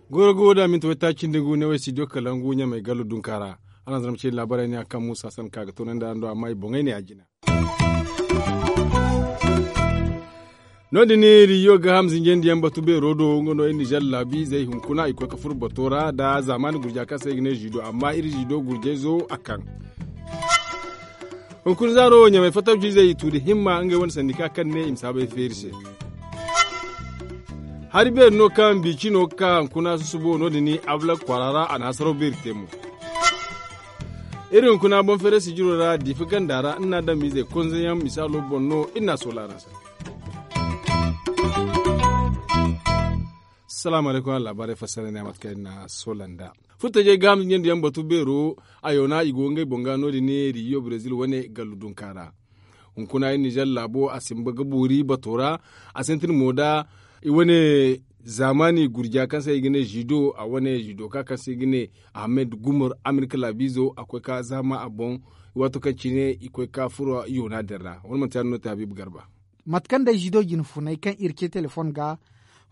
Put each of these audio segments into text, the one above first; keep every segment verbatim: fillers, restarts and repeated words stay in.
Goro go da minti waytaaci nda ngu ne way studio kalangu ɲamay gallo dunka ra. Araŋ zama ce laabaray ne a kaŋ muusa san ka ga toonandi araŋ do amma i boŋey ne a jina. No- din riyo ga ham zinjandi yaŋ batu beero do nga no iri nizer laabu izey hunkuna i koy ga furo bato ra nda zaamaani gurja kaŋ se i ga ne ziido amma iri ziido gurjayzo a kaŋ. Hunkuna zaaro wo ɲamay fatawci izey i tu nda himma ngey wane sandika kaŋ ne i ma si habay feeri se. Hari beeri no kaŋ biicino ga ka hunkuna susubo no- din ablak kwaara ra a na hasaraw beeri te mo. Iri hunkuna boŋ feeray sijiro ra diifa ganda ra iri na a daŋ miizey konze yaŋ misaalo boŋ no iri na a soola araŋ se. Salaamu alaykum araŋ laabaarey fassara ne a mate kaŋ iri na a soola nd'a. Furtajey ga hamza ɲandiyaŋ batu beero a yoona i go ngey boŋ ga no- din riyo brezil wane gallu dunka ra. Hunkuna iri nizer laabo a simba ga boori bato ra. A sintin mo nda i wane zaamaani gurja kaŋ se i ga ne ziido a wane ziidoka kaŋ se i ga ne ahamed gumar amerika laabiizo a koy ka zaama a boŋ. Waato kaŋ cine i koy ka furo yoona din ra wala manti ya- din no te habiibu garba. Mate kaŋ day ziido jine funay kaŋ iri ce telefoŋ ga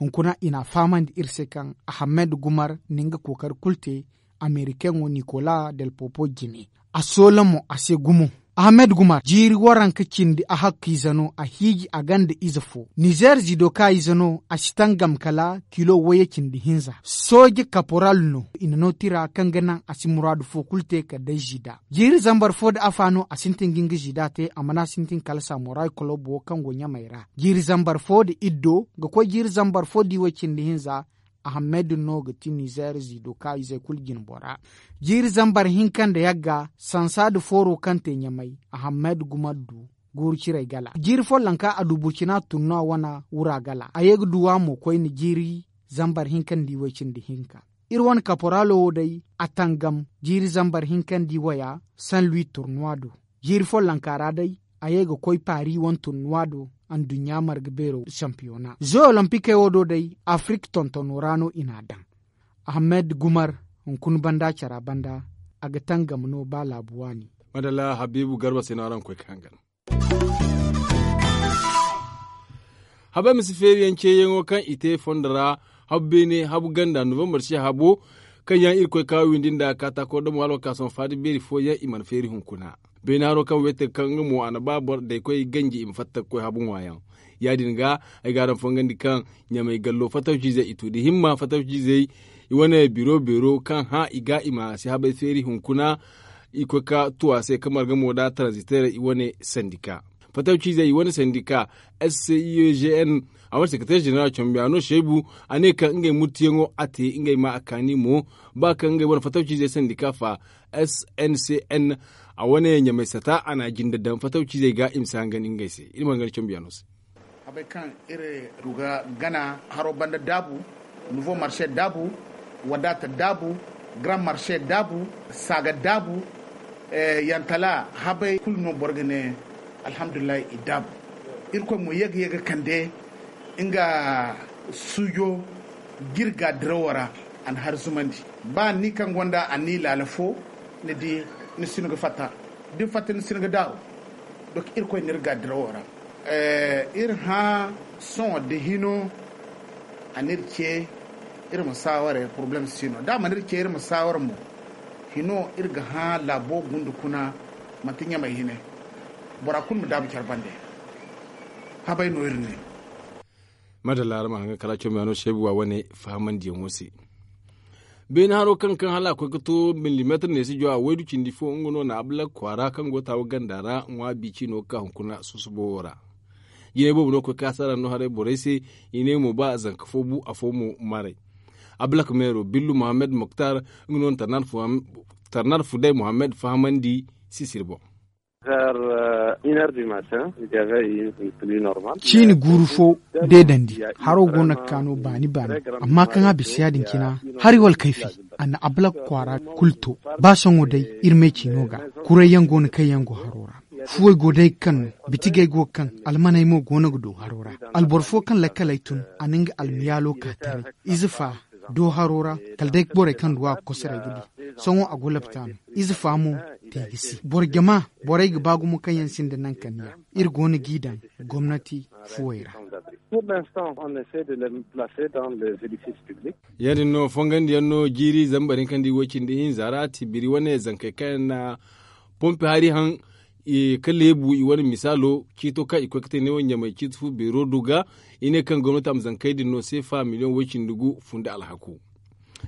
hunkuna i n'a fahamandi iri se kaŋ ahamed gumar na nga kookari kulu te amerikaŋo nikola del popo jine. A soola mo a se gumo. Ahamed gumar jiiri waranka cindi a hakkiize no a hiiji a gonda ize fo nizer ziido ka ize no a si tangam kala kilo wayye cindi hinza sooje kaporal no i na no tira kaŋ ga naŋ a si muraadu fo kulu te kala day ziida. Jiiri zambar fo nda afa no a sintin ga nga ziida te a mana sintin kala samoray kolobo wo kaŋ go ɲamay ra jiiri zambar fo nda iddo ga koy jiiri zambar fo nda iway cindi hinza. Ahamed no ga ti nizer ziido ka izey kulu jine bora. Jiiri zambar hinka nda yagga sansa nda fooro kaŋ te ɲamay ahamed gumar du guuru ciray gala jiiri follanka a du burcina tunno a wane wura gala a ye ga duw'a mo koyne jiiri zambar hinka nda iway cindi hinka. Iri wane kaporalo wo day a tangam jiiri zambar hinka nda iwaya san lui turnuwa do. Jiiri follanka ra day a ye ga koy paari wane turnuwa do anduɲɲa marga beero sampiyona zo olompique wo do day afirik tontono ra no i n'a daŋ. Ahamed gumar hunkuna banda cara banda a ga tangam no ba laabu waani. Madalla habiibu garba se no araŋ ga koy ga hangan. Habay ma si feeriyaŋ ceeyaŋo kaŋ i te fondo ra habu beene habu ganda novembar se habo kaŋ yaŋ irkoy ka windi nda kaataako damo hala wakaasum faada beeri fooyaŋ i mana feeri hunkuna. Beene haro kaŋ weete kaŋ nga mo a na ba boro day koy ganji i ma fatta ga koy habu ŋwaayaŋ. Ya- din ga ay ga araŋ fongandi kaŋ ɲamay gallo fatawciizey i tu nda himma fatawciizey i wane biro beero kaŋ hã i ga i ma si habay feeri hunkuna. I koy ga tu a se ga marga mo nda taranziteerey i wane sandika fatawciizey i wane sandika. S C I E G N a wane sekereteer ženeral cambiyaano seebu a ne kaŋ ngey murtiyaŋo a te ngey ma a kaani mo ba kaŋ ngey wane fatawciizey sandika fa. S N C N a wane ɲamay sata a na a jinde daŋ fatawciizey ga i ma si hangan ngey se iri ma hangan cambiyaano se. Habey kaŋ iri du ga gana haro banda daabu, nouveau marché daabu, wadata daabu, grand marché daabu, saaga daabu, yantala habey kulu no boro ga ne. Alhamdulillahi i daabu. Irkoy mo ye ga ye ga kande nga suujo ga iri ga dirawo ra. A na hari zumandi ba ni kaŋ gonda a ni laala fo ni di ni si no ga fatta. Da ni fatta ni si no ga daabu. Donk irkoy no iri ga dirawo ra. Iri hã sohõ da hino a n'iri ce iri ma saaware poroblem si no da a mana iri ce iri ma saaware mo. Hino iri ga hã laabo gunda kuna manti ɲamay hine. Bora kulu ma daabu care bande. Habay no iri ne. Madalla araŋ ma haŋ ga kala comiyano seebu wa wane fahamandiyaŋo se. Beene haro kaŋ kaŋ hala a koy ga to millimeetir ne si jowa waydu cindi fo nga no na ablak kwaara kaŋ go taawa ganda ra ŋwa bici no ga ka hunkuna susubo wo ra. Jinay boobo no ga koy kaasa ra no haray borey se. I ne mo ba zanka fo bu afo mo maray. Ablak meero billu mohammed moktar nga no na tarnar fuday mohammed fahamandi sisiri boŋ. Ciini guuru fo deedandi haro go no ga ka no baani baani. Amma kaŋ a bisa ya-din cina hari wala kayfi a na ablak kwaara kulu to. Ba sohõ day iri may ciino ga. Kuray yaŋ go no kaŋ yaŋ go haro ra. Fuwey go day ga kaŋ no bitigey go ga kaŋ almaney mo go no ga du haro ra. Alboro fo kaŋ lakkaley tun a na nga almiyaalo ka taray. Ize fa do haro ra, kala day borey kaŋ duw'a ga kosoray ga di. Sohõ a go lapitaano ize fa mo te ga si boro jama. Borey ga ba gumo kaŋ yaŋ sinda naŋ kaniya iri go no g'i daŋ gomnati fuwey ra. Ya- din no fongandiyaŋ no jiiri zambar hinka nda i wo cindi hinza ra tibiri wane zankey kaŋ yaŋ na pompi hari haŋ ka leebu i wane misaalo ciito kaŋ i koy ga te neewo ɲamay ciiti fu beero do ga. I ne kaŋ gomnati a ma zankey din no seefa miliyoŋ way cindi gu funda alhaku.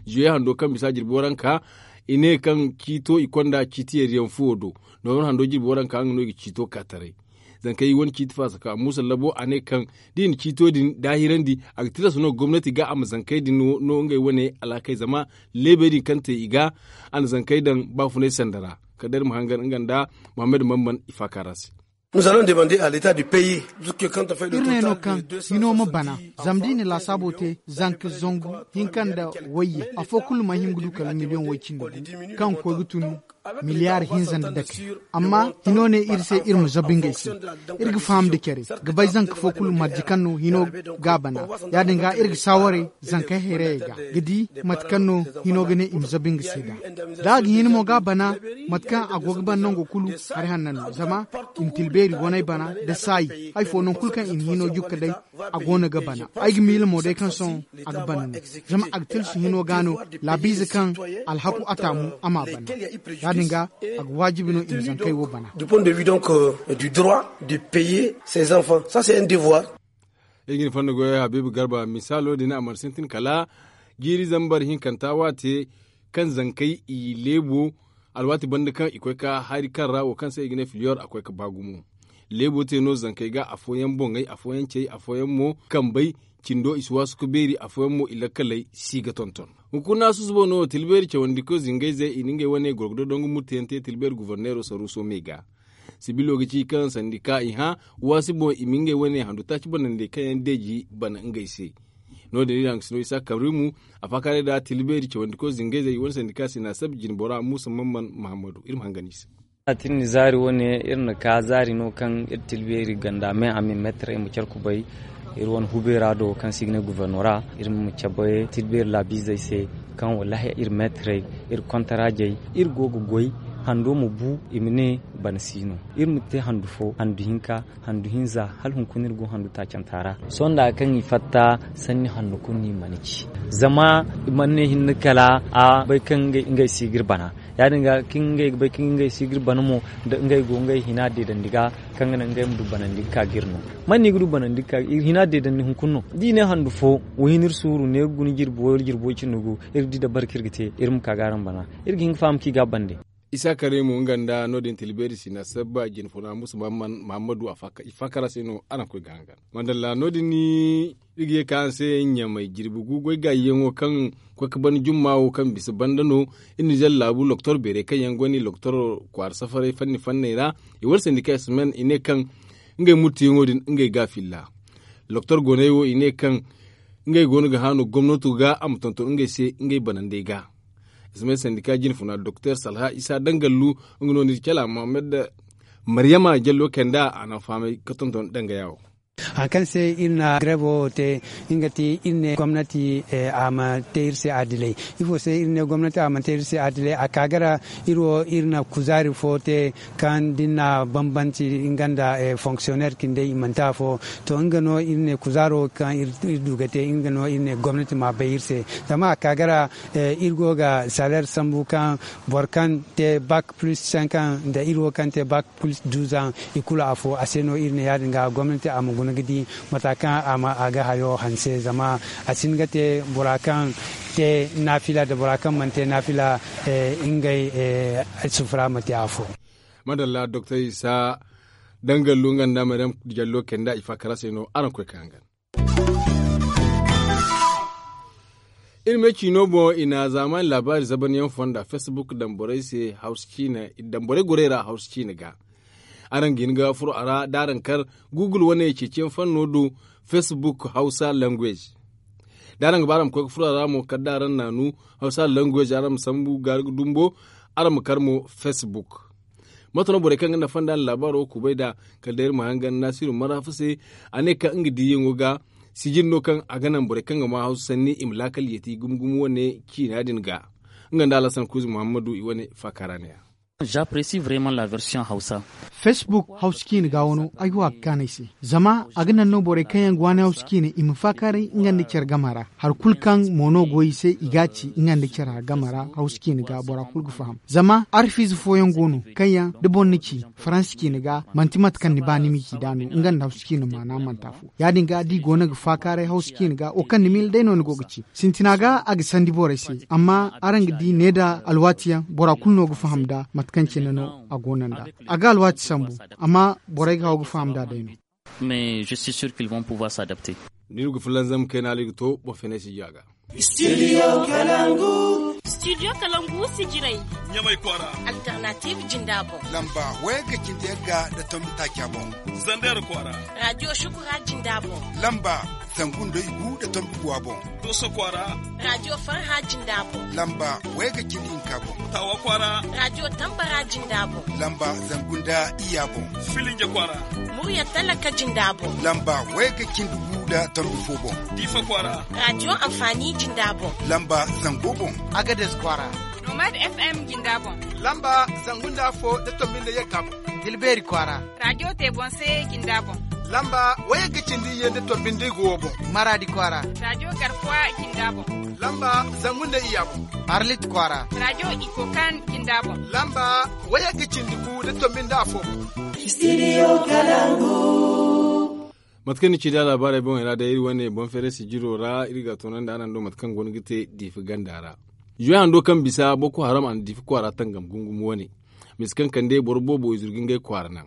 Zuye hando kaŋ bisa jirbi waranka i ne kaŋ ciito i konda ciiti yeeriyaŋ fuwo do. Noobor hando jirbi waranka nga no i ga ciito ka taray. Zankey i wane ciiti faasa ka muusa labo a ne kaŋ da i na ciito din daahirandi a ga tilas no gomnati ga a ma zankey din no ngey wane alhakey zama leebey din kaŋ te i ga a na zankey daŋ baafunay sanda ra. Kala day iri ma hangan nga nda muhammad mamman i faaka ra se. Iri ne no kaŋ hino ma bana zama da i na laasaabo te zanka zangu hinka nda wayye afo kulu ma hin ga du kala miliyoŋ way cindi gu kaŋ ga koy ga tun miliyaari hinza nda dake. Amma hino ne iri se iri ma zabu ngey se iri ga faham nda care ga bay zanka fo kulu marje kaŋ no hino ga a bana. Ya- din ga iri ga saawaray zankey hayrayey ga ga di mate kaŋ no hino ga ne i ma zabu nga se nd'a. Da a ga hin mo ga a bana mate kaŋ a go ga bana nango kulu hari hanna no zama i ma tila beeri waney bana nda saayi hari fo nangu kulu kaŋ i na hino jukka day a go no ga bana. Ay ga miila mo day kaŋ sohõ a ga bana no zama a ga tilsu hino ga no laabiize kaŋ alhaku a taamu a m'a bana. Ya- din ga a ga waajibi no i ma zankey wo bana. Du point de vue donc du droit de payer ses enfants ça c'est un devoir. Iri ga ni fonda goyey habiibu garba misaalo din a mana sintin kala jiiri zambar hinkanta waate kaŋ zankey i leebo alwaati banda kaŋ i koy ka hari kaŋ ra wo kaŋ se i ga ne filiyor a koy ka ba gumo. Leebo te no zankey ga afooyaŋ boŋey afooyaŋ cey afooyaŋ mo kambey cindo i si waasu ka beeri afooyaŋ mo i lakkaley si ga tonton. Hunkuna susubo no tilbeeri cawandiko zingayzey i na ngey wane gorgodo dongu murteyaŋ te tilbeeri guforneero saruuso me ga. Sibilo ga ci kaŋ sandika i hã waasi boŋ i ma ngey wane handu taaci banandi kaŋ yaŋ deeji bana ngey se. No- din iri hangasino isa kabrimu a faakaarey da tilbeeri cawandiko zingayzey i wane sandika sina sabi jinbora muusa mamman mahammadu iri ma hangan i se. Iri na zaari wane iri na ka zaari no kaŋ iri tilbeeri ganda me a ma meetarey ma care kubay. Iri wane hubeera do kaŋ se i ga ne gufornora iri ma cabe tilbeeri laabiizey se kaŋ wallaahi iri meetarey iri kontaraajey iri go ga goy hando ma bu i ma ne bana si no. Iri ma te handu fo handu hinka handu hinza hala hunkuna iri go handu taacanta ra. Sohõ nda kaŋ i fatta sanni handu kulu no i mana ci zama i mana ne hinne kala a bay kaŋ ngey si ga iri bana. Ya- din ga kaŋ ngey ga bay kaŋ ngey si ga iri bana mo da ngey go ngey hina deedandi ga kaŋ ga naŋ ngey ma du banandi ga ka ga iri no. Man no i ga du banandi ga ka hina deedandi hunkuna no da i ne handu fo wo hina iri suuru ne ga guna jirbi wo iri jirbi wo cindi gu iri di dabbar kaŋ iri ga te iri ma ka ga araŋ bana. Iri ga hin ga faham kaŋ i ga a bande. Isa kare mo nga nda no- din tilbeeri sina sabba jinfuna musu mahammadu i faakara se no araŋ koy ga hangan. Madalla no- din iri ga ye ka araŋ se ɲamay jirbi gu goy gaayiyaŋo kaŋ koy ga ban jumma wo kaŋ bisa banda no. Iri na zalla laabu loktor beerey kaŋ yaŋ gonda i loktor kwaara safaray fanni fanney ra i wane sandika semaine i ne kaŋ ngey murtiyaŋo din ngey ga a filla. Loktor gooney wo i ne kaŋ ngey go no ga haanu gomnato ga a ma tonton ngey se ngey banandey ga. Semaine sandika jinfuna doktor salha isa dangallu nga no ni cala mohammed maryama jallo kay nda a na fahamay ga tonton dangaya wo. Hari kaŋ se iri na greevo te nga ti iri ne gomnati a ma te iri se adilay. Ifo se iri ne gomnati a mana te iri se adilay a ka gara iri wo iri na kuzaari fo te kaŋ da ni na bambanci nga nda fonksionner cindey i manti afo. To nga no iri ne kuzaaro kaŋ iri du ga te nga no iri ne gomnati ma bay iri se. Zama a ka gara iri go ga salaire sambu kaŋ boro kaŋ te bak plus cinq ans nda iri wo kaŋ te bak plus douze ans i kulu afo a se no iri ne ya- din ga gomnati a ma guna ga di mata kaŋ a ga hayo hanse zama a si hin ga te bora kaŋ te naafila nda bora kaŋ mana te naafila ngey sufura ma te afo. Madalla doktor isa dangallu nga nda maryam jallo kenda i faakara se no araŋ koy ka hangan. Iri me ciino boŋ i na zaamaani laabaari zabanyaŋ fonda facebook daŋ borey se hawsa ciine i daŋ borey gorey ra hawsa ciine ga. Araŋ ga hin ga furo a ra da araŋ kar google wane ceeciyaŋ fanno do facebook hawsa language. Da araŋ ga ba araŋ ma koy ga furo a ra mo kala da araŋ naanu hawsa language araŋ ma sambu gaari ga dumbo. Araŋ ma kar mo facebook. Mate no borey kaŋ ga nafa nda araŋ laabaaro kubay nd'a kala day iri ma hangan naasiru marafa se. A ne kaŋ nga diiyaŋo ga Sijir no kaŋ a ga naŋ borey kaŋ ga maa hawsu sanni i ma laakal yeeti gumo gumo wane ciina din ga. Nga nda alasan kuuzi muhammadu i wane faakaara ne ya. J'apprécie vraiment la version hausa. Facebook hausa ciina ga wano ay wa ga kaanay se. Zama a ga naŋ no borey kaŋ yaŋ ga waani hausa ciina i ma faakaaray nga nda care gama ra. Hari kulu kaŋ mo no go i se i ga a ci nga nda care gama ra hausa ciina ga bora kulu ga faham. Zama arfiize fooyaŋ go no kaŋ yaŋ da boro na ci faransa ciina ga manti mate kaŋ ni ba ni m'i ci nd'a no nga nda hausa ciina maana manti afo. Ya- din ga da i go no ga faakaaray hausa ciina ga wo kaŋ ni miila day no ni go ga ci. Sintina ga a ga sandi borey se. Amma araŋ ga di ne nda alwaati yaŋ bora kulu no ga faham nd'a mate kaŋ cine no a go no nd'a. A ga alwaati sambu. Amma borey ga haw ga faham nd'a day no. Mais je suis sûr qu'ils vont pouvoir s'adapter. Ni ga fulanzam kayna ali ga to boro fenay si ji a ga. Studio kalangu. Studio kalangu sijiray. Ɲamay kwaara. Alternative jinda boŋ. Lamba waya ga cindi yagga da tombi taaca boŋ. Zander kwaara. Radio shukura jinda boŋ. Lamba zangu nda igu da tombi guwa boŋ. Doso kwaara. Radio farha jinda boŋ. Lamba waya ga cindi hinka boŋ. Tawa kwaara. Radio tambara jinda boŋ. Lamba zangu nda iya boŋ. Filinja kwaara. Murya talaka jinda boŋ. Lamba waya ga cindi gu da tombi fo boŋ. Difa kwaara. Radio amfani jinda boŋ. Lamba zango boŋ. Agades kwaara. Nomad FM jinda boŋ. Lamba zangu nda fo da tombi nda yagga boŋ. Dilbeeri kwaara. Radio te boŋ se jinda boŋ. Lamba waya ga cindi ye nda tombi nda igo boŋ. Maradi kwaara. Radio garkuwa jinda boŋ. Lamba zangu nda iya boŋ. Arlit kwaara. Radio ikokan jinda boŋ. Lamba waya ga cindi gu da tombi nda afo boŋ. Studio kalangu. Mate kaŋ ni ci da laabaarey boŋey ra day iri wane boŋ feere sijiro ra iri ga a toonandi araŋ do mate kaŋ go no ga te diifi ganda ra. Zuwey hando kaŋ bisa boko haram a na diifi kwaara tangam gungum wane. Misa kaŋ kande boro boobo i zuru ga ngey kwaara naŋ.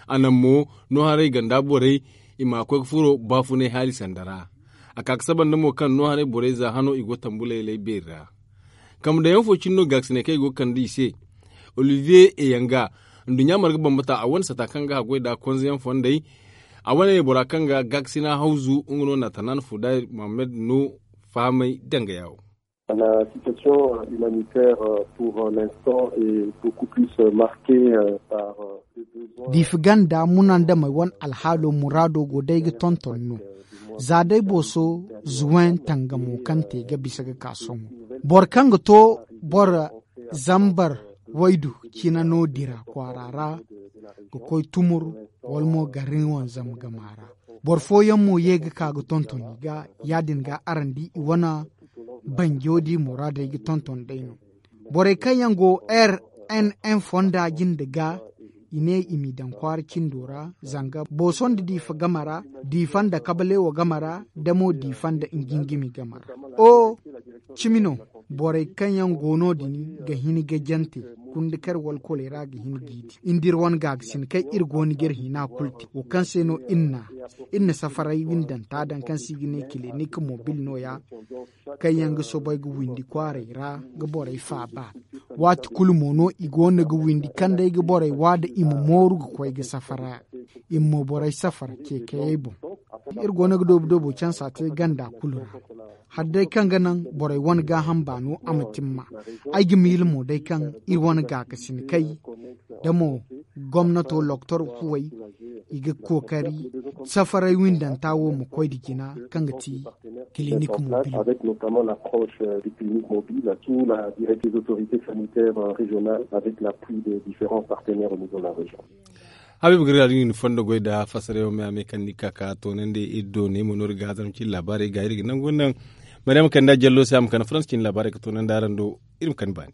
A naŋ mo no haray ganda borey i ma koy ga furo baafunay haali sanda ra. A ka ga saba nda mo kaŋ no haray borey za hano i go tambulay lay beeri ra. Kambe daŋ yaŋ fo cine no gaakasinay kaŋ i go ga kande i se. Olivier eyanga nduɲɲa marga bambata a wane sata kaŋ ga haggoy nd'a konze yaŋ fondey. A wane bora kaŋ ga gaakasina hawzu nga no naatanan fuday mohammed no fahamay danga yaawo. La situation humanitaire pour l'instant est beaucoup plus marquée par. Diifi ganda munandamey wane alhaalo muraado go day ga tonton no. Za day booso zuwen tangamo kaŋ te ga bisa ga ka sohõ. Boro kaŋ ga to boro zambar waydu cine no dira kwaara ra ga koy tumur wala mo garin wanzam gama ra. Boro fooyaŋ mo ye ga ka ga tonton i ga ya- din ga araŋ di i wane banjo di muraadey ga tonton day no. Borey kaŋ yaŋ go rnn fonda jinde ga i ne i m'i daŋ kwaara cindo ra zanga booso nda diifa game ra diifa nda kabalewo game ra da mo diifa nda njingimi game ra. O cimi no. Borey kaŋ yaŋ go no- din ga hin ga jante kundikar walkoley ra ga hin g'i di nda iri wane gaagasin kaŋ iri go no ga iri hina kulu te wo kaŋ se no iri na iri na safaray windanta daŋ kaŋ se i ga ne kilinik mobil no- ya kaŋ yaŋ ga soobay ga windi kwaaray ra ga borey faaba. Waati kulu mo no i go no ga windi kaŋ day ga borey wa da i ma mooru ga koy ga safara i ma mo borey safara ceekayey boŋ. Iri go no ga doobu doobu cansa te ganda kulu ra. Hala day kaŋ ga naŋ borey wane gaaham baano a ma timma. Ay ga miila mo day kaŋ iri wane gaakasin kay da mo gomnato loktor kuwey i ga kookari safaray windanta wo ma koy nda jina kaŋ ga ti kilinik mobil. Avec notamment l'approche du clinique mobile sous la direction des autorités sanitaires régionales avec l'appui des différents partenaires au niveau de la région. Habiibu gari ra din fondo goy nda fassarayaŋ me a me kaŋ ni ga ka ka toonandi iri do ne mo no iri ga hazam cine laabaarey ga iri ga nangu naŋ. Maryam kande jallo se a ma kande faransa cine laabaarey ga toonandi araŋ do. Iri ma kande baani.